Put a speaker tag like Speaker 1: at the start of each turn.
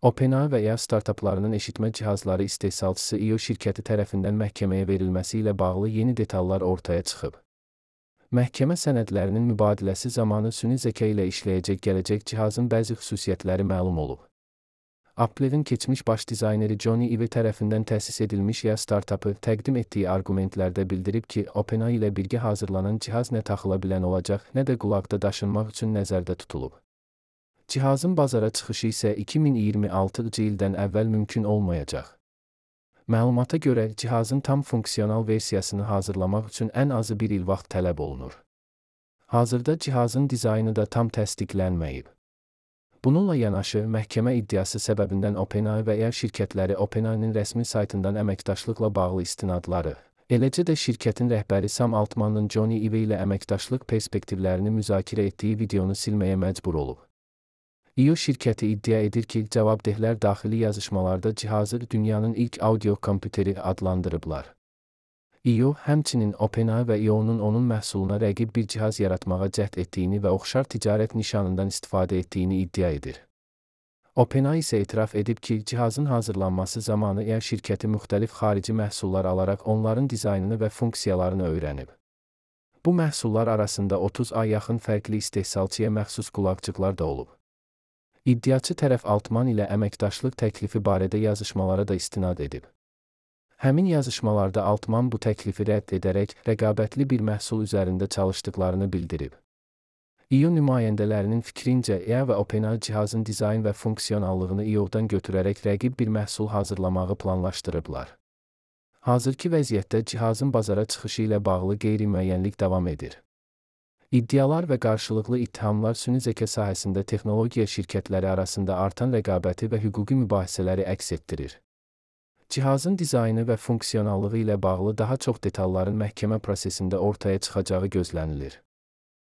Speaker 1: OpenAI və ya startaplarının eşitmə cihazları istehsalçısı IO şirkəti tərəfindən məhkəməyə verilməsi ilə bağlı yeni detallar ortaya çıxıb. Məhkəmə sənədlərinin mübadiləsi zamanı süni zəka ilə işləyəcək gələcək cihazın bəzi xüsusiyyətləri məlum olub. Apple'in keçmiş baş dizayneri Johnny Ive tərəfindən təsis edilmiş ya startapı təqdim etdiyi arqumentlərdə bildirib ki, OpenAI ilə birgə hazırlanan cihaz nə taxıla bilən olacaq, nə də qulaqda daşınmaq üçün nəzərdə tutulub. Cihazın bazara çıxışı isə 2026-cı ildən əvvəl mümkün olmayacaq. Məlumata görə, cihazın tam funksional versiyasını hazırlamaq üçün ən azı bir il vaxt tələb olunur. Hazırda cihazın dizaynı da tam təsdiqlənməyib. Bununla yanaşı, məhkəmə iddiası səbəbindən OpenAI və ya şirkətləri OpenAI-nin rəsmi saytından əməkdaşlıqla bağlı istinadları, eləcə də şirkətin rəhbəri Sam Altmanın Johnny Ive ilə əməkdaşlıq perspektivlərini müzakirə etdiyi videonu silməyə məcbur olub. IO şirkəti iddia edir ki, cavabdehlər daxili yazışmalarda cihazı dünyanın ilk audio kompüteri adlandırıblar. IO, həmçinin OpenAI və IO-nun onun məhsuluna rəqib bir cihaz yaratmağa cəhd etdiyini və oxşar ticarət nişanından istifadə etdiyini iddia edir. OpenAI isə etiraf edib ki, cihazın hazırlanması zamanı IA şirkəti müxtəlif xarici məhsullar alaraq onların dizaynını və funksiyalarını öyrənib. Bu məhsullar arasında 30-a yaxın fərqli istehsalçıya məxsus qulaqcıqlar da olub. İddiaçı tərəf Altman ilə əməkdaşlıq təklifi barədə yazışmalara da istinad edib. Həmin yazışmalarda Altman bu təklifi rədd edərək rəqabətli bir məhsul üzərində çalışdıqlarını bildirib. IO nümayəndələrinin fikrincə, IA və OpenAI cihazın dizayn və funksionallığını IO-dan götürərək rəqib bir məhsul hazırlamağı planlaşdırıblar. Hazırki vəziyyətdə cihazın bazara çıxışı ilə bağlı qeyri-müəyyənlik davam edir. İddialar və qarşılıqlı ittihamlar süni zəka sahəsində texnologiya şirkətləri arasında artan rəqabəti və hüquqi mübahisələri əks etdirir. Cihazın dizaynı və funksionallığı ilə bağlı daha çox detalların məhkəmə prosesində ortaya çıxacağı gözlənilir.